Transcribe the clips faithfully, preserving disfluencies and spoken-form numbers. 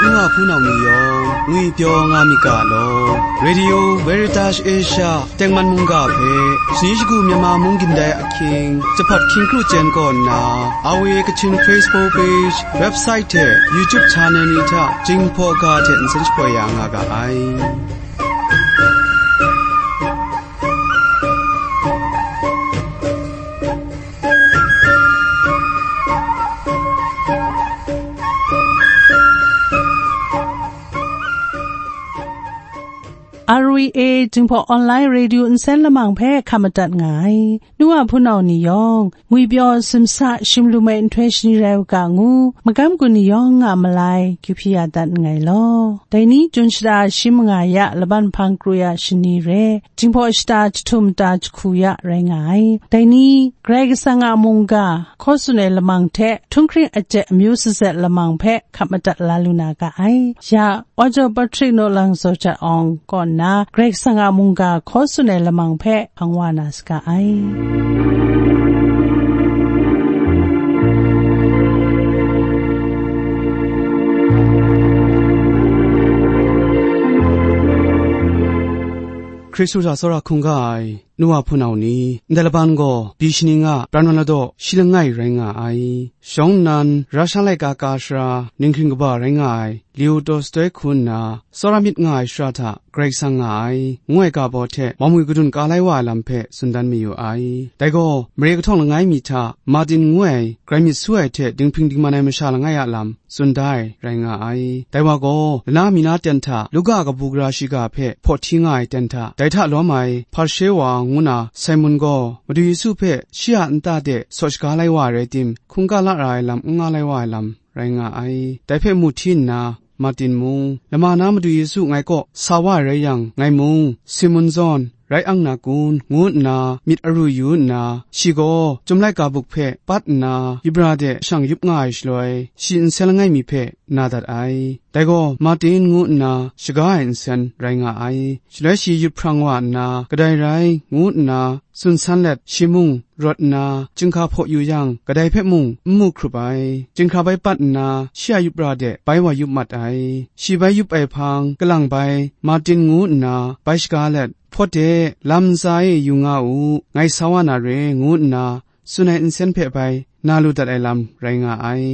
Nu wa hpunau ni yawng, ngwipyaw nga myit ga law. Radio Veritas Asia tengman mungga hpe, shani shagu Myanmar mung gindai ahkying, Jahpat hkying kru chyen kaw nna, R V A Kachin Facebook page, website hte YouTube channel ni hta Jinghpaw ga hte nsen shapoi ya nga ga ai. R V A Jinghpaw Online Radio nsen lamang hpe hkap madat nga ai. Nu wa hpunau ni yawng, ngwipyaw simsa shim lu mai nhtoi shani rai u ga ngu, magam gun ni yawng a malai kyu hpyi ya dat nngai law. Dai ni, Jun shada shi manga ya laban hpang kru ya shani re, Jinghpaw shata jahtum ta jahku ya rai nga ai. Dai ni, Karai Kasang a mungga hkaw tsun ai lamang hte, htunghkring aje amyu sazet lamang hpe hkap madat la lu na ga ai. Ya, Ojo Patrick Nolang Zaw Jat Awng kaw nna, Karai Kasang a mungga hkaw tsun ai lamang hpe hpang wa na saga ai. Hkristu hta tsawra hkungga ai, nu wa hpunau ni, ndai laban gaw, byi shani nga pran wa ladaw shi langai rai nga ai. Shawng nnan, Rasha laika ka sara, ninghking kaba rai nga ai, Leo Tolstoi hku nna, tsawra myit nga ai shara hta Karai Kasang nga ai, ngu ai ga baw hte, mawmwi kadun ka lai wa ai lam hpe tsun dan mayu ai. Dai gaw, mare kahtawng langai mi hta, Martin ngu ai, grai myit su ai hte dinghpring dingman ai masha langai a lam, tsun da ai rai nga ai. Dai wa gaw, lana mi na ten hta, Luka kabu gara shiga hpe hpaw hti nga ai ten hta, dai hta lawm ai Hparshe wa ngu na Simon gaw, Madu Yesu hpe shi a nta de saw shaga lai wa ai rai tim, hkungga la ra ai lam n nga lai wa ai lam rai nga ai. Dai hpe mu hti nna, Martin mung, lama na Madu Yesu ngai kaw sa wa ai rai yang, ngai mung, Simon zawn, rai ang na kun, ngu nna myit aru yu nna, shi gaw chyum laika buk hpe pat nna, yubra de shang yup nga ai shaloi, shi nsen langai mi hpe na dat ai. Dai gaw Martin ngu nna shaga ai nsen rai nga ai. Shaloi shi yut hprang wa nna, kadai rai, ngu nna tsun san let, shi mung rawt nna, chyinghka hpaw yu yang, kadai hpe mung n mu hkrup ai. Chyinghka bai pat nna, shi a yubra de bai wa yup mat ai. Shi bai yup ai hpang, kalang bai, Martin ngu nna bai shaga let, Hpawt de, lam ntsa e yu nga u, ngai sa wa na re, ngu nna tsun ai nsen hpe bai na lu dat ai lam rai nga ai.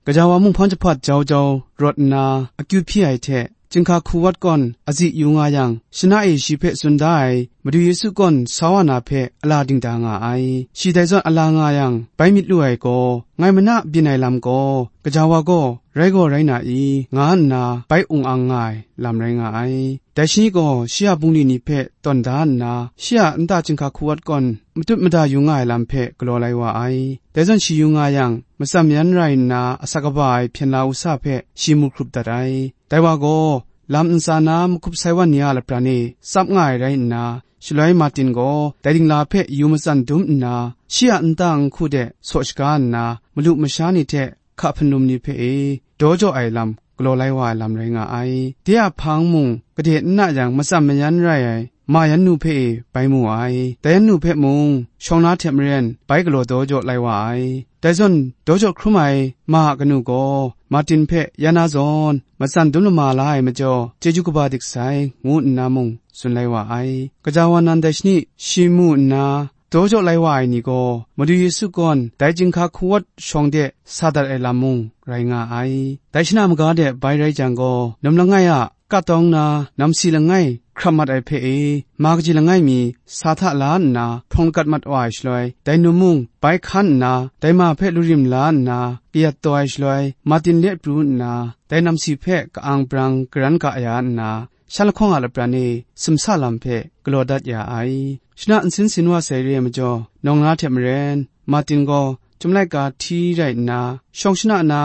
Gaja wa mung hpawng jahpat jau jau rawt nna, akyu hpyi ai hte, chyinghka hku wat gawn azi yu nga yang, shana e shi hpe tsun da ai, Madu Yesu gawn sa wa na hpe ala dingda nga ai. Shi dai zawn ala nga yang, bai myit lu ai gaw, ngai mana byin ai lam gaw, gaja wa gaw rai gaw rai na i, nga nna bai ung ang nga ai lam rai nga ai. Dai shani gaw shi a bungli ni hpe tawn da nna, shi a nta chyinghka hku wat gawn matut mada yu nga ai lam hpe galaw lai wa ai. Dai zawn shi yu nga yang, matsan mayan rai nna asak kaba ai hpyen la wusa hpe shi mu hkrup dat ai. Dai wa gaw, lam ntsa na mahkup sai wan ni a lapran e tsap nga ai rai nna, shaloi Martin gaw dai dingla hpe yu matsan dum nna, shi a nta nhku de saw shaga nna, malu masha ni hte hka hpunlum ni hpe e daw jaw ai lam galaw lai wa ai lam rai nga ai. De a hpang mung gade n na yang, matsan mayan rai ai ma yan nu hpe e bai mu ai. Dai yan nu hpe mung shawng na hte maren bai galaw daw jaw lai wa ai. Dai zawn daw jaw hkrum ai ma a kanu gaw Martin hpe ya na zawn matsan dum lama la ai majaw, chyeju kaba dik sai, ngu nna mung tsun lai wa ai. Gaja wa nan dai shani shi mu nna, daw jaw lai wa ai ni gaw, Madu Yesu gawn dai chyinghka hku wat shawng de sa dat ai lam mung rai nga ai. Dai shana maga de bai rai jang gaw, num langai a katawng na namsi langai hkram mat ai hpe e, ma kaji langai mi sa hta la nna hprawng lagat mat wa ai shaloi, dai num mung bai hkan nna, dai ma hpe lurim la nna kayat taw ai shaloi, Martin le pru nna, dai namsi hpe ka-ang brang garan ga ya nna, shan lahkawng a lapran e simsa lam hpe galaw dat ya ai. Shana nsin sin wa sai re ai majaw, nawng na hte maren, Martin gaw chyum laika hti rai nna, shawng shana na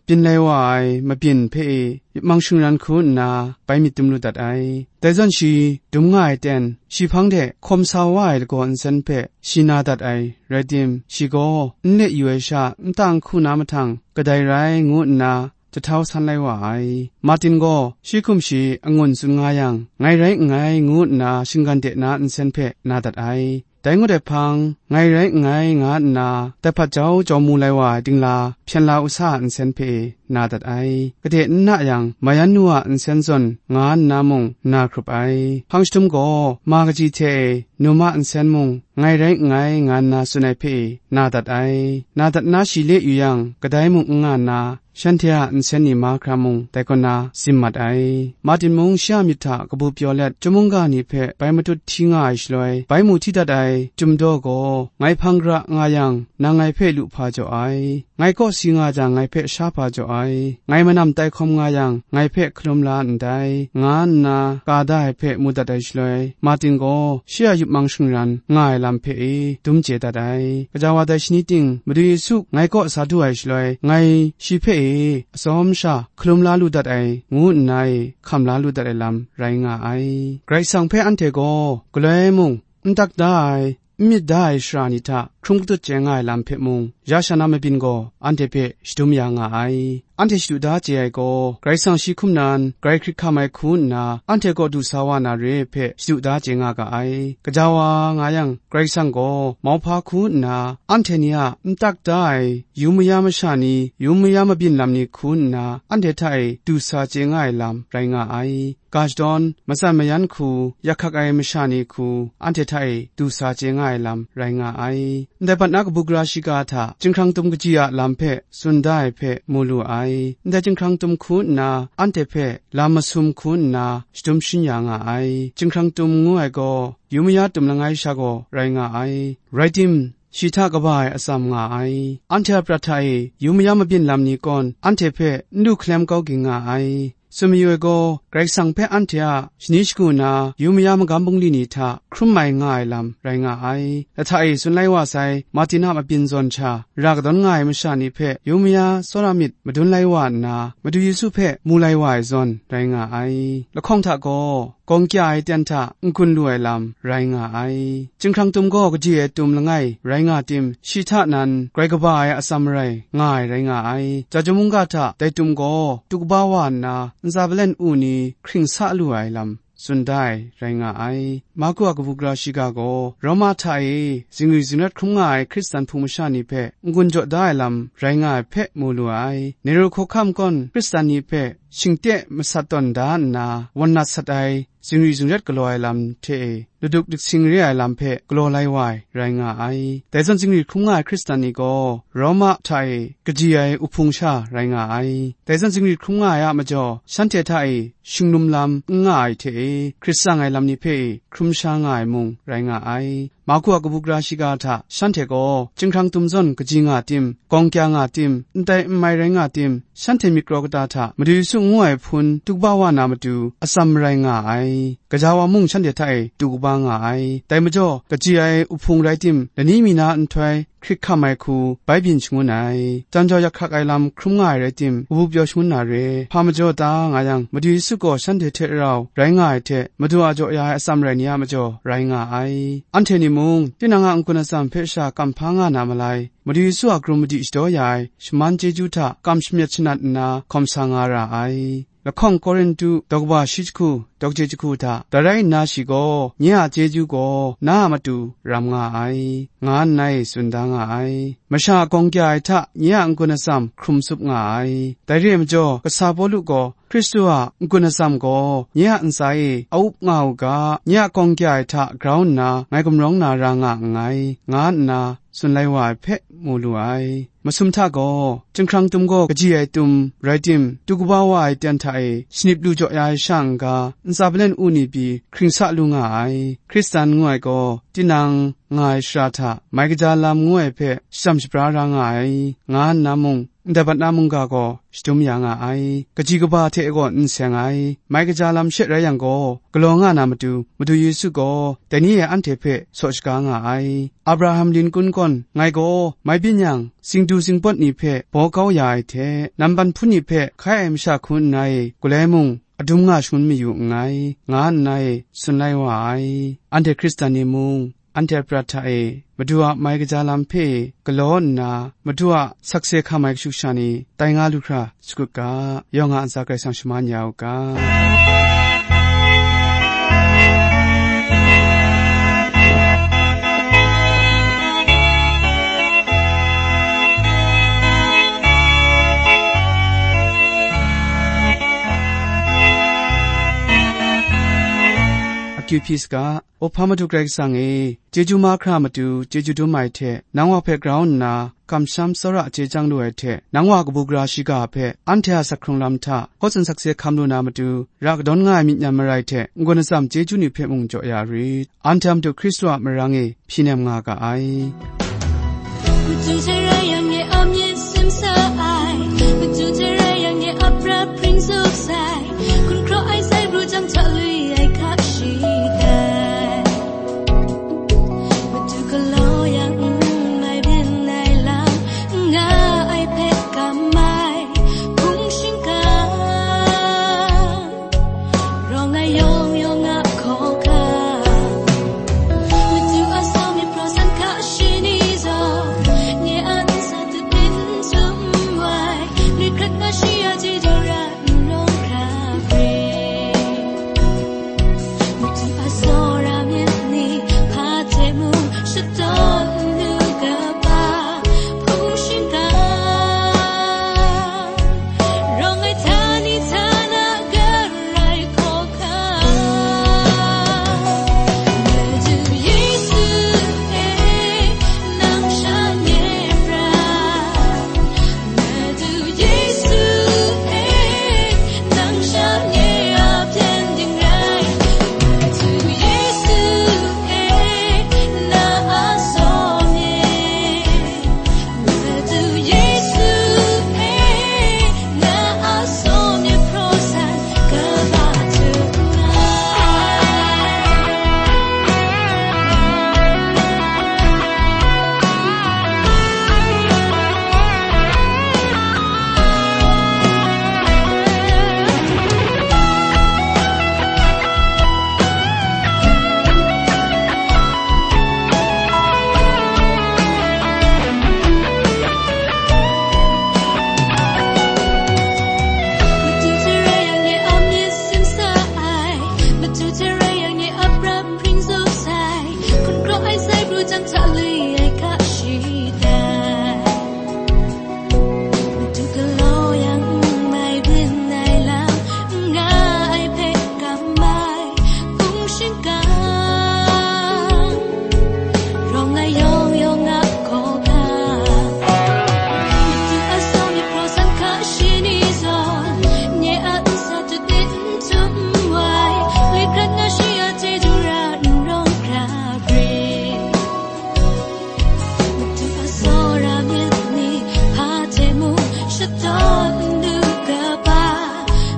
byin lai wa ai mabyin hpe e yupmang shingran hku nna bai myit dum lu dat ai. Dai zawn shi dum nga ai ten, shi hpang de hkawm sa wa ai lagaw nsen hpe shi na dat ai rai tim, shi gaw n let yu ai sha nta nhku na mahtang kadai rai ngu nna jahtau san lai wa ai. Martin gaw shi hkum shi angun tsun nga yang, ngai rai nngai ngu nna shinggan de na nsen hpe na dat ai. Dai ngut ai hpang, ngai rai nngai, nga nna, dai hpat jau jau mu lai wa ai dingla, hpyen la u sa a nsen hpe na dat ai. Gade n na yang, mayan nu a nsen zawn nga nna mung na hkrup ai. Hpang shadum gaw, ma kaji hte e, num a nsen mung, ngai rai nngai, nga nna tsun ai hpe na dat ai. Na dat na shi le yu yang, kadai mung n nga nna, shanhte a nsen ni mahkra mung dai kaw na zim mat ai. Martin mung shi a myit hta kabu pyaw let, chyum mungga ni hpe bai matut hti nga ai shaloi, bai mu hti dat ai chyum daw gaw, ngai hpang gara nga yang, nang ngai hpe lu hpa jaw ai. Ngai kaw si nga jang, ngai hpe sha hpa jaw ai. Ngai manam tai hkawm nga yang, ngai hpe hkalum la ndai, nga nna ka da ai hpe mu dat ai shaloi, Martin gaw shi a yup mang shingran nga ai lam hpe e dum chye dat ai. Gaja wa dai shani ting, Madu Yesu ngai kaw sa du ai shaloi, ngai shi hpe e atsawm sha hkalum la lu dat ai, ngu nna e hkam la lu dat ai lam rai nga ai. Karai Kasang hpe anhte gaw galoi mung, n tak da ai, n myit da ai shara ni hta hkrum katut chye nga ai lam hpe mung, ya sha na mabyin gaw anhte hpe shadum ya nga ai. Anhte shadu da chye ai gaw, Karai Kasang shi hkum nan grai hkrit hkam ai hku nna, anhte kaw du sa wa na re ai hpe shadu da chye nga ga ai. Gaja wa nga yang, Karai Kasang gaw mauhpa hku nna, anhte ni a n tak da ai yu maya masha ni, yu maya mabyin lam ni hku nna, anhte hta e du sa chye nga ai lam rai nga ai. Ga shadawn, matsan mayan hku, yak hkak ai masha ni hku, anhte hta e du sa chye nga ai lam rai nga ai. Ndai bat na kabu gara shiga hta, chyinghkrang tum kaji a lam hpe tsun da ai hpe mu lu ai. Ndai chyinghkrang tum hku nna, anhte hpe lam masum hku nna, shadum shin ya nga ai. Chyinghkrang tum ngu ai gaw, yu maya tum langai sha gaw rai nga ai. Rai tim, shi hta kaba ai atsam nga ai. Anhte a prat hta e yu maya mabyin lam ni kawn, anhte hpe n du hkalem kau ging nga ai. Tsun mayu ai gaw, Karai Kasang hpe anhte a shani shagu na yu maya magam bungli ni hta hkrum mai nga ai lam rai nga ai. Lahta e tsun lai wa sai, Martin a mabyin zawn sha, ra kadawn nga ai masha ni hpe yu maya tsawra myit madun lai wa nna, Madu Yesu hpe mu lai wa ai zawn rai nga ai. Lahkawng hta gaw, gawng kya ai ten hta n-gun lu ai lam rai nga ai. Chyinghkrang tum gaw kaji ai tum langai rai nga tim, shi hta nan grai kaba ai atsam marai nga ai rai nga ai. Ja chyum mungga hta dai tum gaw du kaba wa nna, ntsa palen u ni hkring sa lu ai lam tsun da ai rai nga ai. Marku a kabu gara shiga gaw, Roma hta e zingri zingrat hkrum nga ai Hkristan hpung masha ni hpe n-gun jaw da ai lam rai nga ai hpe mu lu ai. Nero hkawhkam gawn Hkristan ni hpe shingte masat tawn da nna, wan nat sat ai, zingri zingrat galaw ai lam hte e, laduk diktsing re ai lam hpe galaw lai wa ai, rai nga ai. Dai zawn zingri hkrum nga ai Hkristan ni gaw, Roma hta e kaji ai uhpung sha rai nga ai. Dai zawn zingri hkrum nga ai a majaw, shanhte hta e shinglum lam n nga ai hte e, hkrit tsang ai lam ni hpe e hkrum sha nga ai mung rai nga ai. Marku a kabu gara shiga hta shanhte gaw, chyinghkrang tum zawn kaji nga tim, gawng kya nga tim, ndai n mai rai nga tim, shanhte myit karaw kata hta Madu Yesu ngu ai hpun du kaba wa na matu, atsam marai nga ai. Gaja wa mung shanhte hta e du kaba nga ai. Dai majaw, kaji ai uhpung rai tim, lani mi na nhtoi hkrit hkam ai hku bai byin shangun ai. Jan jau yak hkak ai lam hkrum nga ai rai tim, kabu pyaw shangun na re. Hpa majaw ta nga yang, Madu Yesu gaw shanhte hte rau rai nga ai hte, Madu a jaw ya ai atsam rai ni a majaw rai nga ai. Anhte ni mung, tinang a n-gun atsam hpe sha kamhpa nga na malai, Madu Yesu a hkrum madi shadaw ya ai shaman chyeju hta kam shamyet shanat nna hkawm sa nga ra ai. Lahkawng Korintu daw kaba shi jahku, daw kachye jahku hta, dai rai nna shi gaw, nye a chyeju gaw na a matu ram nga ai, nga nna e tsun da nga ai. Masha a gawng kya ai hta nye a n-gun atsam hkrum tsup nga ai. Dai re ai majaw, kasa Pawlu gaw, Hkristu a n-gun atsam gaw nye a ntsa e a up nga u ga, nye a gawng kya ai hta grau nna ngai gumrawng na ra nga nngai, nga nna tsun lai wa ai hpe mu lu ai. Masum hta gaw, chyinghkrang tum gaw kaji ai tum rai tim, du kaba wa ai ten hta e shanip lu jaw ya ai sha n-ga, ntsa palen u ni pyi hkring sa lu nga ai. Hkristan ngu ai gaw, tinang nga ai shara hta mai kaja lam ngu ai hpe shajam shapra ra nga ai, nga nna mung, ndai bat na mungga gaw shadum ya nga ai. Kaji kaba hte gaw n seng ai. Mai kaja lam she rai yang gaw, galaw nga na matu, Madu Yesu gaw dai ni e anhte hpe saw shaga nga ai. Abraham Lincoln gawn, ngai gaw mai byin yang, singdu singpawt ni hpe baw kau ya ai hte, namban hpun ni hpe hkai ai masha hku nna e, galai mung adum nga shangun mayu nngai, nga nna e tsun lai wa ai. Anhte Hkristan ni mung, anhte a prat hta e, Madu a mai kaja lam hpe galaw nna, Madu a sakse hkam ai kashu kasha ni tai nga lu hkra sagut ga, yawng a ntsa Karai Kasang shaman ya u ga. akyu hpyi saga. Up hpa Madu Karai Kasang e, chyeju mahkra matu chyeju dum ai hte, nang wa hpe grau nna, kamsham tsawra chye chyang lu ai hte, nang wa kabu gara shiga hpe, anhte a sak hkrung lam hta, hkaw tsun sakse hkam lu na matu, ra kadawn nga ai myit nyan marai hte, n-gun atsam chyeju ni hpe mung jaw ya rit. Anhte a matu Hkristu a marang e hpyi nem nga ga ai. Madu hte rai yang, nye a myit sim sa ai. Madu hte rai yang, nye a prat hpring zup sai. Hkun hkraw ai sai pru jang hta lui ai hka shi dai. Madu galaw yang, n mai byin ai lam, n nga ai hpe kam ai hpung shingkang. Rawng ai yawng yawng a hkawhkam. Madu a sau myit hpraw san hka shi ni zawn, nye a nsa dut n sum wai, nit hkrat nga shi a chyeju ra n rawng hkra hpring. Madu a tsawra myit ni hpa hte mung shadawn n lu kaba hpung shingkang. Rawng ai htani htana garai hkawhkam. Madu Yesu e, nang sha nye prat. Madu Yesu e, nang sha nye a byen ding rai. Madu Yesu e, na a saw nye. Madu Yesu e, na a saw myit hpraw san kaba htum ai. Madu hte rai yang, nye a myit sim sa ai. Madu hte rai yang, nye a prat hpring zup sai. Hkun hkraw ai sai pru jang hta lui ai hka shi dai. Madu galaw yang, n mai byin ai lam, n nga ai hpe kam ai hpung shingkang. Rawng ai yawng yawng a hkawhkam. Madu a sau myit hpraw san hka shi ni zawn, nye a nsa dut n sum wai, nit hkrat nga shi a chyeju ra n rawng hkra hpring. Madu a tsawra myit ni hpa hte mung shadawn n lu kaba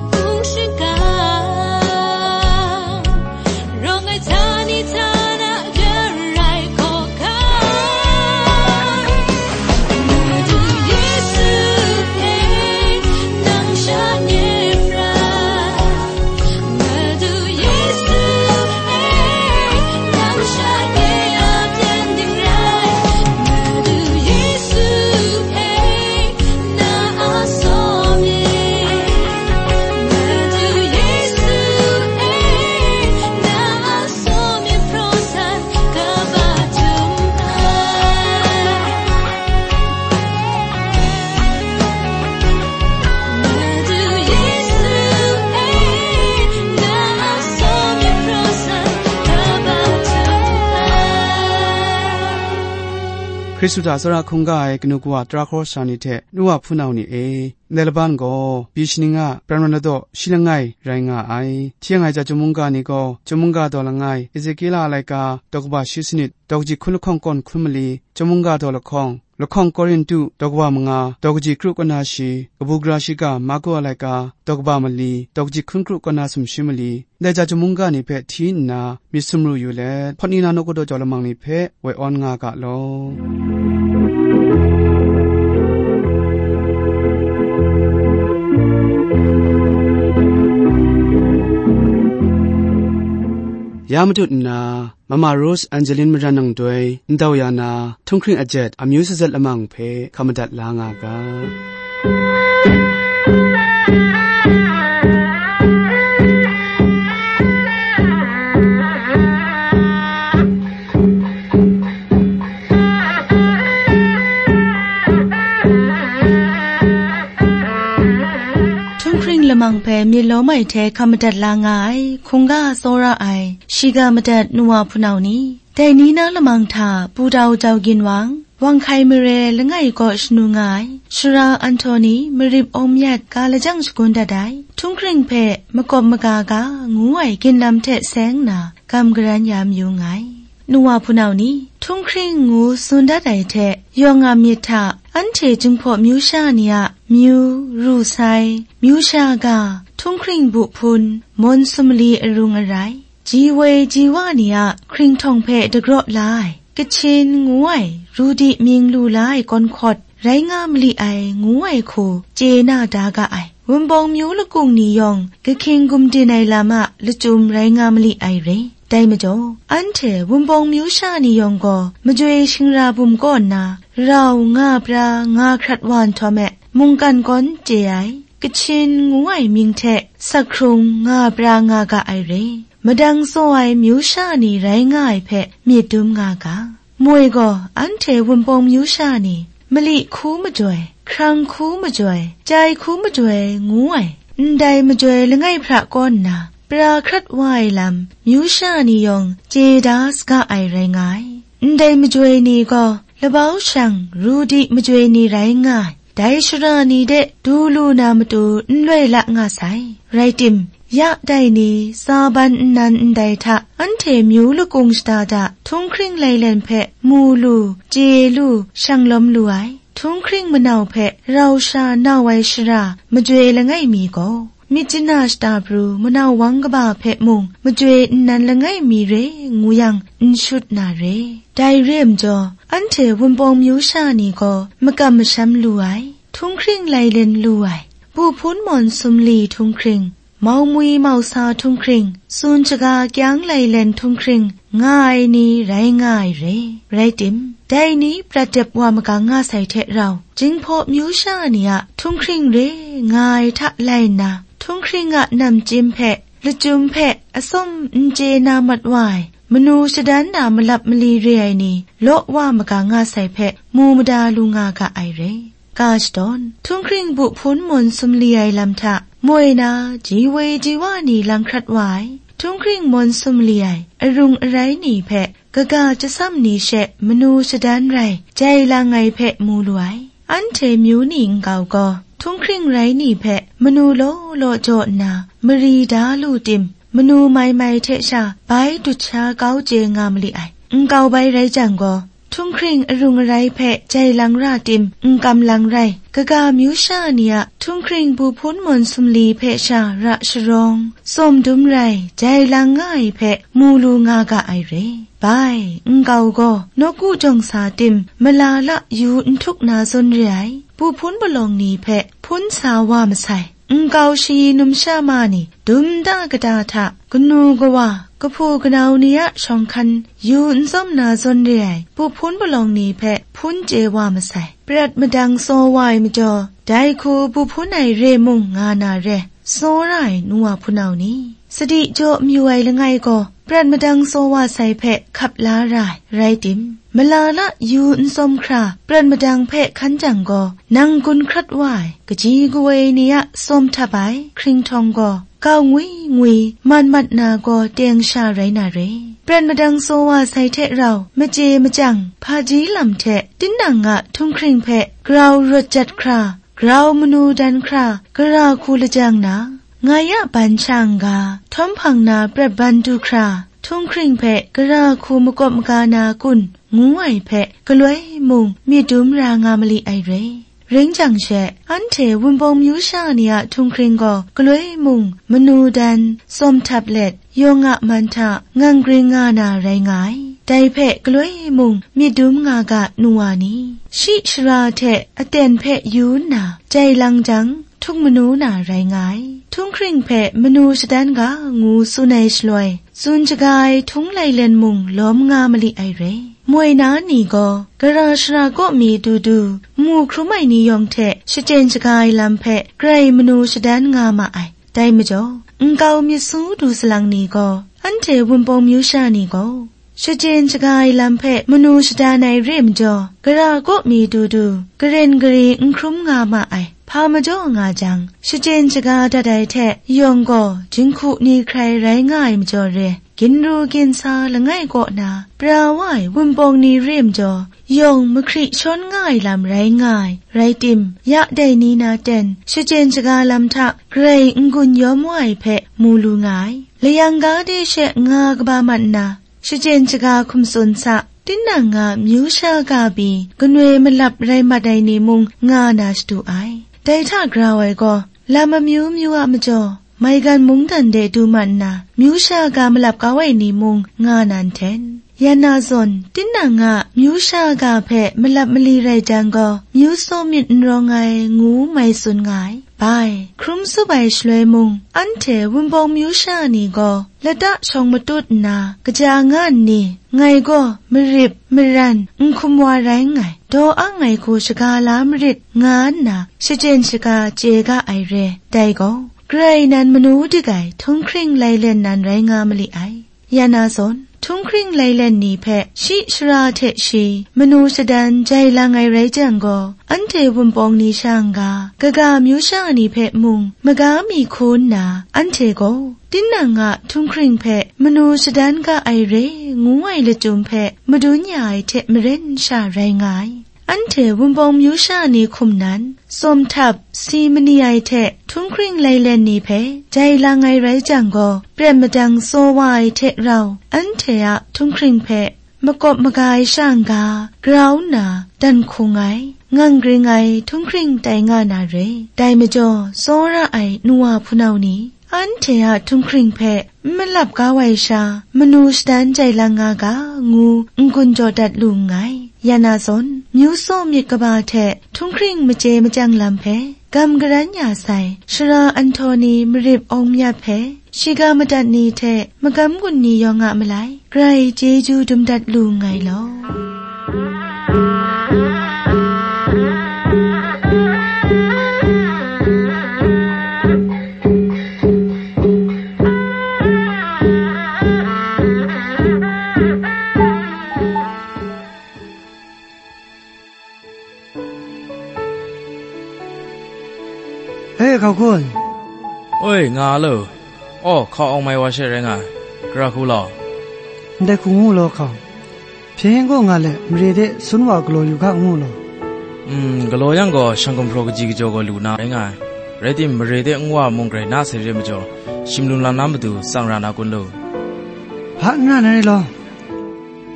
hpung shingkang. Rawng ai htani htana garai hkawhkam. Madu Yesu e, nang sha nye prat. Madu Yesu e, nang sha nye a byen ding rai. Madu Yesu e, na a saw myit. Madu Yesu e, na a saw myit hpraw san kaba htum ai. Madu Yesu e, na a saw myit hpraw san kaba htum ai. Hkristu hta tsawra hkungga ai kanu kawa tara hkawhkam ni hte nu wa hpunau ni e, ndai laban gaw, byi shaning a pran wan ladaw shi langai rai nga ai. Hti yang ai chyum mungga ni gaw, chyum mungga daw langai, Ezekiela a laika, daw kaba shi sanit, daw kaji hkun lahkawng kawn hkun mali, chyum mungga daw lahkawng, lahkawng Korintu, daw kaba manga, daw kaji kru kaw na shi, kabu gara shiga Marku a laika, daw kaba mali, daw kaji hkun kru kaw na sumshi mali, ndai chyum mungga ni hpe hti nna, myit sumru yu let, hpawt ni na nawku daw jau lamang ni hpe woi awn nga ga law. Ya matut nna, Mama Rose Angeline Maran Nang Doi, ndau ya na, Htunghkring Ajet, amyu sazat lamang hpe hkam madat la nga ga. Htunghkring lamang hpe Lawm ai hte hkam madat la nga ai, hkungga tsawra ai, shiga madat nu wa hpunau ni, dai ni na lamang hta Pudau Jau Ginwang, Wang Hkai Mare langai kaw shanu nga ai, Sara Anhtoni Marip Awm Yat ga lajang shagun dat ai, Htunghkring hpe makawp maga ga ngu ai ginlam hte seng nna gam garan ya mayu nngai. Nu wa hpunau ni, Htunghkring ngu tsun dat ai hte yawng a myit hta, anhte Jinghpaw myu sha ni a myu, ru sai, myu sha ga, Htunghkring bu hpun, mawn sumali arung arai, ji woi ji wa ni a hkringhtawng hpe dagraw la ai, Kachin ngu ai, Rudi mying lu la ai kawnhkawt, rai nga mali ai ngu ai hku chye na da ga ai. Wunpawng myu lakung ni yawng, kahkying gumdin ai lam a lachyum rai nga mali ai re. Dai majaw, anhte Wunpawng myu sha ni yawng gaw, majoi shingra bum kaw nna, rau nga pra nga hkrat wa nhtawm e, mungkan kawn chye ai, Kachin ngu ai mying hte sak hkrung nga pra nga ga ai re. Madang tsaw ai myu sha ni rai nga ai hpe myit dum nga ga. Moi gaw, anhte Wunpawng myu sha ni, mali hku majoi, hkrang hku majoi, chyai hku majoi ngu ai, ndai majoi langai hpra kaw nna, pra hkrat wa ai lam, myu sha ni yawng chye da saga ai rai nga ai. Ndai majoi ni gaw, labau shang, Rudi majoi ni rai nga ai. Dai shara ni de du lu na matu n loi la nga sai. Rai tim, ya dai ni, tsa ban nnan ndai hta, anhte myu lakung shada da, Htunghkring lailen hpe mu lu, chye lu, shang lawm lu ai. Htunghkring manau hpe rau sha nau ai shara majoi langai mi gaw, myit chana shata pru manau wang kaba hpe mung majoi nnan langai mi re ngu yang, n shut na re. Dai re ai majaw, anhte Wunpawng myu sha ni gaw makam masham lu ai, Htunghkring lailen lu ai, bu hpun mawn sumli Htunghkring, mau mwi mau sa Htunghkring, tsun shaga kyang lailen Htunghkring nga ai ni rai nga ai re. Rai tim, dai ni prat dep wa magang nga sai hte rau, Jinghpaw myu sha ni a Htunghkring re nga ai hta lai nna, Htunghkring a namchyim hpe, lachyum hpe, atsawm n chye na mat wa ai, manu shadan na malap mali re ai ni, law wa magang nga sai hpe, mu mada lu nga ga ai re. Ga shadawn, Htunghkring bu hpun mawn sumli ai lam hta, moi na, ji woi ji wa ni lang hkrat wa ai, Htunghkring mawn sumli ai, arung arai ni hpe, kaga chyasam ni she manu shadan rai, jai lang ai hpe mu lu ai. Anhte myu ni nkau gaw, Htunghkring rai ni hpe manu law law jaw nna, mari da lu tim, manu mai mai hte sha bai dut sha kau chye nga mali ai. Nkau bai rai jang gaw, Htunghkring arung arai hpe jai lang ra tim, n kam lang rai, kaga myu sha ni a Htunghkring bu hpun mawn sumli hpe sha ra sharawng, tsawm dum rai, jai lang nga ai hpe mu lu nga ga ai re. Bai, nkau gaw, nawku jawng sa tim, mala la yu n htuk na zawn re ai, bu hpun palawng ni hpe hpun sa wa masai. Nkau shayi numsha ma ni, dum da kata hta, kanu kawa, kahpu kanau ni a shawng hkan, yu n tsawm na zawn re ai, bu hpun palawng ni hpe hpun chye wa masai. Prat madang tsaw wa ai majaw, dai hku bu hpun ai re mung nga na re, tsaw ra ai nu wa hpunau ni, sadi jaw mayu ai langai gaw, prat madang tsaw wa sai hpe hkap la ra ai, rai tim, mala la yu n tsawm hkra, prat madang hpe hkan jang gaw, nang gun hkrat wa ai, kaji kawoi ni a tsawm htap ai, hkringhtawng gaw, kau ngwi ngwi, mat mat na gaw teng sha rai na re. Prat madang tsaw wa sai hte rau, machye machyang, hpaji lam hte, tinang a Htunghkring hpe grau rawt jat hkra, grau manu dan hkra, gara hku lajang na, ngai a ban sha n-ga, htawm hpang na prat ban du hkra, Htunghkring hpe gara hku makawp maga na kun, ngu ai hpe, galoi mung myit dum ra nga mali ai re. Ring jang she, anhte Wunpawng myu sha ni a Htunghkring gaw galoi mung manu dan, tsawm htap let, yawng a man hta ngang gring nga na rai nga ai. Dai hpe galoi mung myit dum nga ga nu wa ni, shi shara hte aten hpe yu nna jai lang jang, htuk manu na rai nga ai. Htunghkring hpe manu shadan ga ngu tsun ai shaloi, tsun shaga ai htung lailen mung lawm nga mali ai re. Moi na ni gaw, gara shara kaw mi du du, mu hkrum ai ni yawng hte shachyen shaga ai lam hpe grai manu shadan nga ma ai. Dai majaw, nkau myit su du salang ni gaw, anhte Wunpawng myu sha ni gaw, Shachyen shaga ai lam hpe manu shadan ai re majaw, gara kaw mi du du, garen gari n hkrum nga ma ai. Hpa majaw nga jang, shachyen shaga dat ai hte yawng gaw jinghku ni hkrai rai nga ai majaw re, ginru ginsa langai kaw na pra wa ai Wunpawng ni re majaw, yawng mahkri shawn nga ai lam rai nga ai. Rai tim, ya dai ni na ten shachyen shaga lam hta grai n-gun yawm wa ai hpe mu lu nga ai. Layang ga de she nga kaba mat nna, shachyen shaga hkum tsun sa, tinang a myu sha ga pyi, kanoi malap rai mat ai ni mung nga na shadu ai. Dai hta grau ai gaw, lam amyu myu a majaw, maigan mungdan de du mat nna, myu sha ga malap kau ai ni mung nga na nhten. Ya na zawn, tinang a myu sha ga hpe malap mali rai jang gaw, myu tsaw myit n rawng ai, ngu mai tsun nga ai. Bai, hkrum tsup ai shaloi mung, anhte Wunpawng myu sha ni gaw, lata shawng matut nna, kaja nga nni, ngai gaw marip, maran, n hkum wa rai nngai, daw ang ai hku shaga la marit, nga nna, shachyen shaga chye ga ai re. Dai gaw, Karai nan manu dik ai htunghkring lailen nan rai nga mali ai. Ya na zawn, htunghkring lailen ni hpe shi shara hte shi manu shadan jai lang ai rai jang gaw, anhte Wunpawng ni sha n-ga, kaga myu sha ni hpe mung maga mi hku nna, anhte gaw, tinang a htunghkring hpe manu shadan ga ai re, ngu ai lachyum hpe madun ya ai hte maren sha rai nga ai. Anhte Wunpawng myu sha ni hkum nan, tsawm htap, si mani ai hte htunghkring lailen ni hpe jai lang ai rai jang gaw, pret madang tsaw wa ai hte rau, anhte a htunghkring hpe makawp maga ai sha n-ga, grau nna dan hkung ai, ngang gring ai htunghkring tai nga na re. Dai majaw, tsawra ai nu wa hpunau ni, anhte a htunghkring hpe n malap kau ai sha, manu shadan jai lang nga ga, ngu n-gun jaw dat lu nngai. Ya na zawn, myu tsaw myit kaba hte htunghkring machye machyang lam hpe gam garan ya sai, shara anhtaw ni marip awng myat hpe, shiga madat ni hte magam gun ni yawng a malai, grai chyeju dum dat lu nngai law. E, hkau kun. Oi, nga lo. Aw, hkau awng mai wa she rai nga ai. Gara hku law. Ndai hku ngu law, hkau. Hpyen gaw nga let, mare de sun wa galaw yu ga, ngu law. Mm, galaw yang gaw, shang gumhpraw kaji kajaw gaw lu na rai nga ai. Rai tim, mare de nwa mung grai na sai re majaw, shim lum lam na matu tsang ra na kun lu? Hpa n ra na rai law.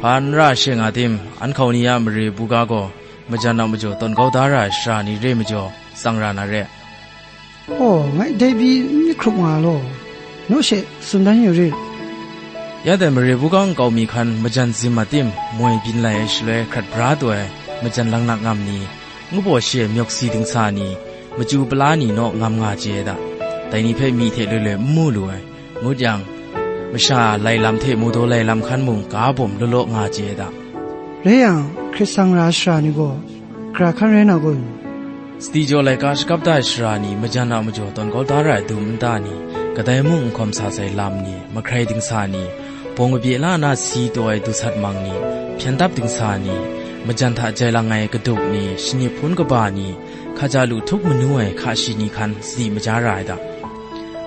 Hpa n ra she nga tim, an hkau ni a mare buga gaw, majan a majaw tawn kau da ra ai shara ni re majaw, tsang ra na re. Aw, ngai dai pyi n hkrup nga law, naw she tsun dan yu rit. Ya dai mare buga nkau mi hkan majan zim a tim, moi byin lai ai shaloi hkrat bra taw ai majan langnak ngam ni, ngu baw shi ai myawk si dingsa ni, machyu pala ni naw ngam nga chye ai da. Dai ni hpe myi hte loi loi n mu lu ai. Ngut yang, masha lai lam hte mawdaw lai lam hkan mung ga bawm law law nga chye ai da. Rai yang, hkrit sang ra ai shara ni gaw, gara hkan rai na kun? Sadi jaw laika shakap da ai shara ni, majan a majaw tawn kau da ra ai dum nta ni, kadai mung n hkawm sa sai lam ni, mahkrai dingsa ni, bawng kabye la na si taw ai dusat mang ni, hpyen dap dingsa ni, majan hta jai lang ai kaduk ni, shani hpun kaba ni, hkaja lu htup manu ai hka shi ni hkan sadi maja ra ai da.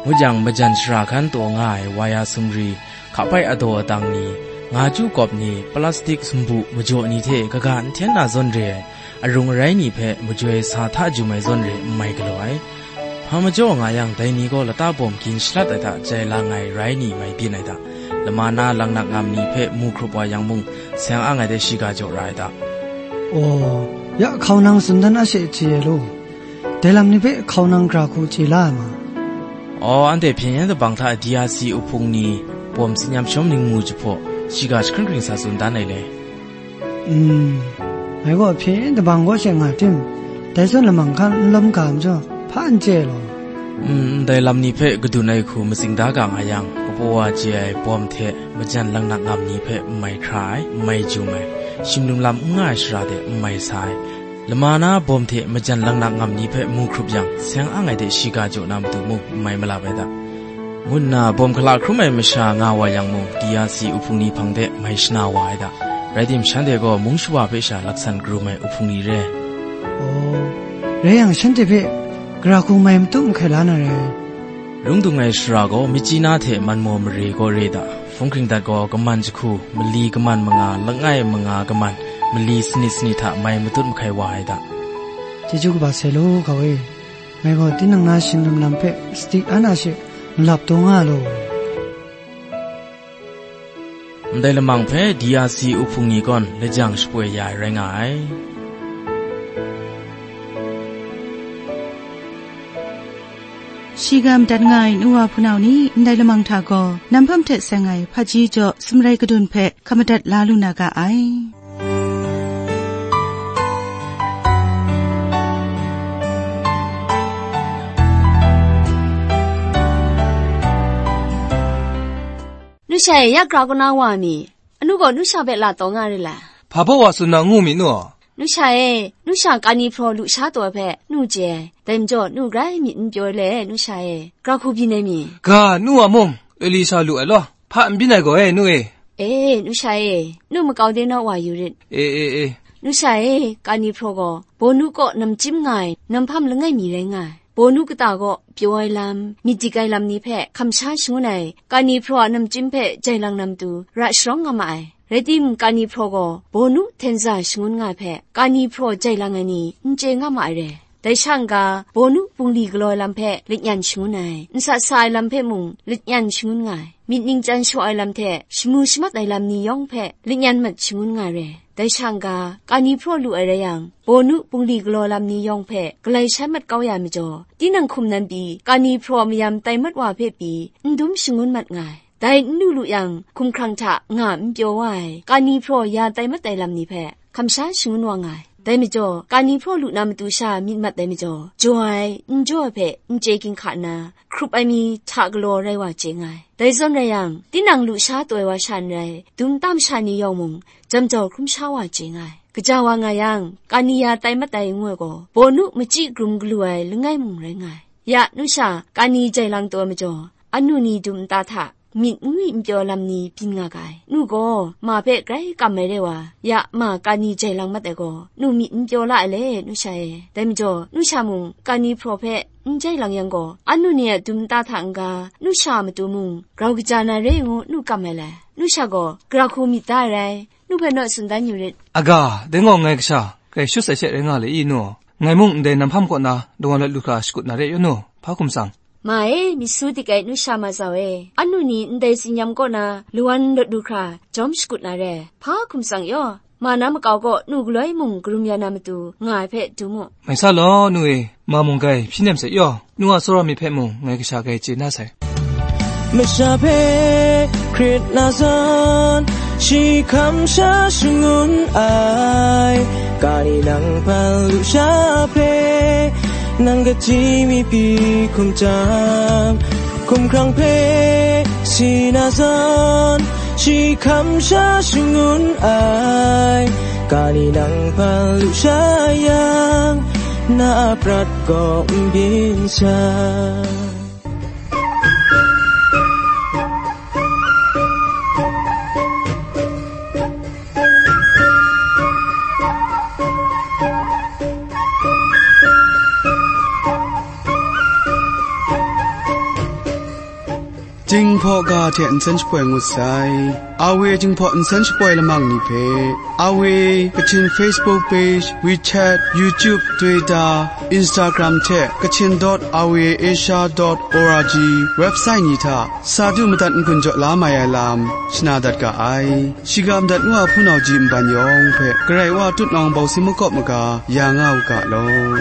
Ngut yang, majan shara hkan taw nga ai waya sumri, hkapai adaw adang ni, nga chyu kawp ni, plastik sumbu majaw ni hte kaga n hten na zawn re ai, arung arai ni hpe majoi sa hta jum ai zawn re n mai galaw ai. Hpa majaw nga yang, dai ni gaw lata bawm gin shalat ai hta jai lang ai rai ni mai byin ai da. Lama na langnak ngam ni hpe mu hkrup wa yang mung, seng ang ai de shiga jaw ra ai da. Aw, ya hkau nang tsun dan a she chye ai law. Dai lam ni hpe hkau nang gara hku chye la ai ma? Aw, anhte hpyen yen dabang hta D R C uhpung ni, bawm tsin yam shawm ningmu jahpaw, shiga jahkring hkring sa tsun dan ai le. Mm, ngai gaw hpyen yen dabang kaw she nga tim, dai zawn lamang hkan n lawm ga majaw, hpa n chye ai law. Mm, ndai lam ni hpe kadun ai hku matsing da ga nga yang, kapaw wa chye ai bawm hte majan langnak ngam ni hpe n mai hkra ai, n mai jum ai, shim lum lam n nga ai shara de n mai sa ai, lama na bawm hte majan langnak ngam ni hpe mu hkrup yang, seng ang ai de shiga jaw na matu mung n mai malap ai da. ngu nna bawm hkala hkrum ai masha nga wa yang mung, D R C uhpung ni hpang de mai shana wa ai da. Rai tim, shanhte gaw mung shawa hpe sha laksan karum ai uhpung ni re. Aw, rai yang, shanhte hpe gara hku mai matut mahkai la na re. Lung dung ai shara gaw Myitkyina hte Manmaw mare gaw re da. Hpung hkring dat gaw kaman jahku, mali kaman manga, langai manga kaman, mali sanit sanit hta mai matut mahkai wa ai da. Chyeju kaba sai law, ga e. Ngai gaw tinang na shinglum lam hpe sadi ana she nlap taw nga law. Ndai lamang hpe D R C uhpung ni gaw lajang shapoi ya ai rai nga ai. Shiga madat nga ai nu wa hpunau ni, ndai lamang hta gaw, namhpam hte seng ai hpaji jaw sumrai kadun hpe hkap madat la lu na ga ai. Nu sha e, ya gra kaw na wa mi? Anu gaw nu sha hpe la taw nga re la? Hpa baw wa tsun na ngu mi nu? Nu sha e, nu sha kani hpraw lu sha taw ai hpe nu chye ai, dai majaw nu grai myit n pyaw ai le, nu sha e, gra hku byin ai mi? Ga, nu wa mung, Elisha lu ai law, hpa n byin ai gaw e, nu e. E, nu sha e, nu makau de naw wa yu rit. E, e, e. Nu sha e, kani hpraw gaw, bawnu kaw namchyim nga ai, namhpam langai mi rai nga ai. Bawnu kata gaw pyaw ai lam, myit dik ai lam ni hpe kamsha shangun ai, kani hpraw a namchyim hpe jai lang na matu ra sharawng nga ma ai. Rai timung, kani hpraw gaw bawnu htenza shangun nga ai hpe, kani hpraw jai lang ai ni n chye nga ma ai re. Dai sha n-ga, bawnu bungli galaw ai lam hpe lanyan shangun ai, nsat sa ai lam hpe mung lanyan shangun nga ai, myit ningchyan shaw ai lam hte shamu shamat ai lam ni yawng hpe lanyan mat shangun nga ai re. Dai sha n-ga, kani hpraw lu ai rai yang, bawnu bungli galaw lam ni yawng hpe galai shai mat kau ya ai majaw, tinang hkum nan pyi, kani hpraw mayam tai mat wa hpe pyi, n dum shangun mat nga ai. Dai n lu lu yang, hkumhkrang hta nga n pyaw wa ai, kani hpraw ya tai mat ai lam ni hpe, kamsha shangun wa nga ai. Dai majaw, kani hpraw lu na matu sha myit mat ai majaw, jaw ai, n jaw ai hpe n chye ginhka nna, hkrup ai mi hta galaw rai wa chye nga ai. Dai zawn rai yang, tinang lu sha taw ai wa sha n rai, dum nta masha ni yawng mung, jam jau hkrum sha wa chye nga ai. Kaja wa nga yang, kani ya tai mat ai ngu ai gaw, bawnu machyi grum galu ai langai mung rai nga ai. Ya, nu sha, kani jai lang taw ai majaw, anu ni dum nta hta, myit n ngwi n pyaw lam ni byin nga ga ai. Nu gaw, ma hpe grai kam ai re wa, ya, ma kani jai lang mat ai gaw, nu myit n pyaw la ai le, nu sha e. Dai majaw, nu sha mung, kani hpraw hpe n jai lang yang gaw, anu ni a dum nta hta n-ga, nu sha a matu mung, grau kaja na re ngu nu kam ai le. Nu sha gaw, gara hku myit da ai rai, nu hpe naw tsun dan yu rit. Aga, dai gaw ngai kasha, grai shut sai she rai nga le i, nu? Ngai mung ndai namhpam kaw na, dawan lawt lu hkra shakut na re yu, nu? Hpa hkum tsang? Ma e, myit su dik ai nu sha ma zau e, anu ni ndai tsinyam kaw na lawan lawt lu hkra jawm shakut na re, hpa hkum tsang yaw, ma na makau kaw nu galoi mung karum ya na matu nga ai hpe dum u. Mai sa law, nu e, ma mung grai hpyi nem sai yaw, nu a tsawra myit hpe mung ngai kasha grai chye na sai. Masha hpe hkrit na zawn, shi hkam sha shangun ai, kani nang hpan lu sha hpe, nang kaji mi pyi hkum jang, hkumhkrang hpe si na zawn, shi hkam sha shangun ai, kani nang hpan lu sha yang, na a prat kaw n byin sai. Jinghpaw ga hte nsen shapoi ngut sai. A W Jinghpaw nsen shapoi lamang ni hpe, A W Kachin Facebook page, WeChat, YouTube, Twitter, Instagram hte Kachin dot R V A Asia dot O R G website ni hta sa du madat n-gun jaw la mai ai lam shana dat ga ai. Shiga madat nu a hpunau ji nban yawng hpe Karai Wa tutnawng bawsing makawp maga ya nga u ga law.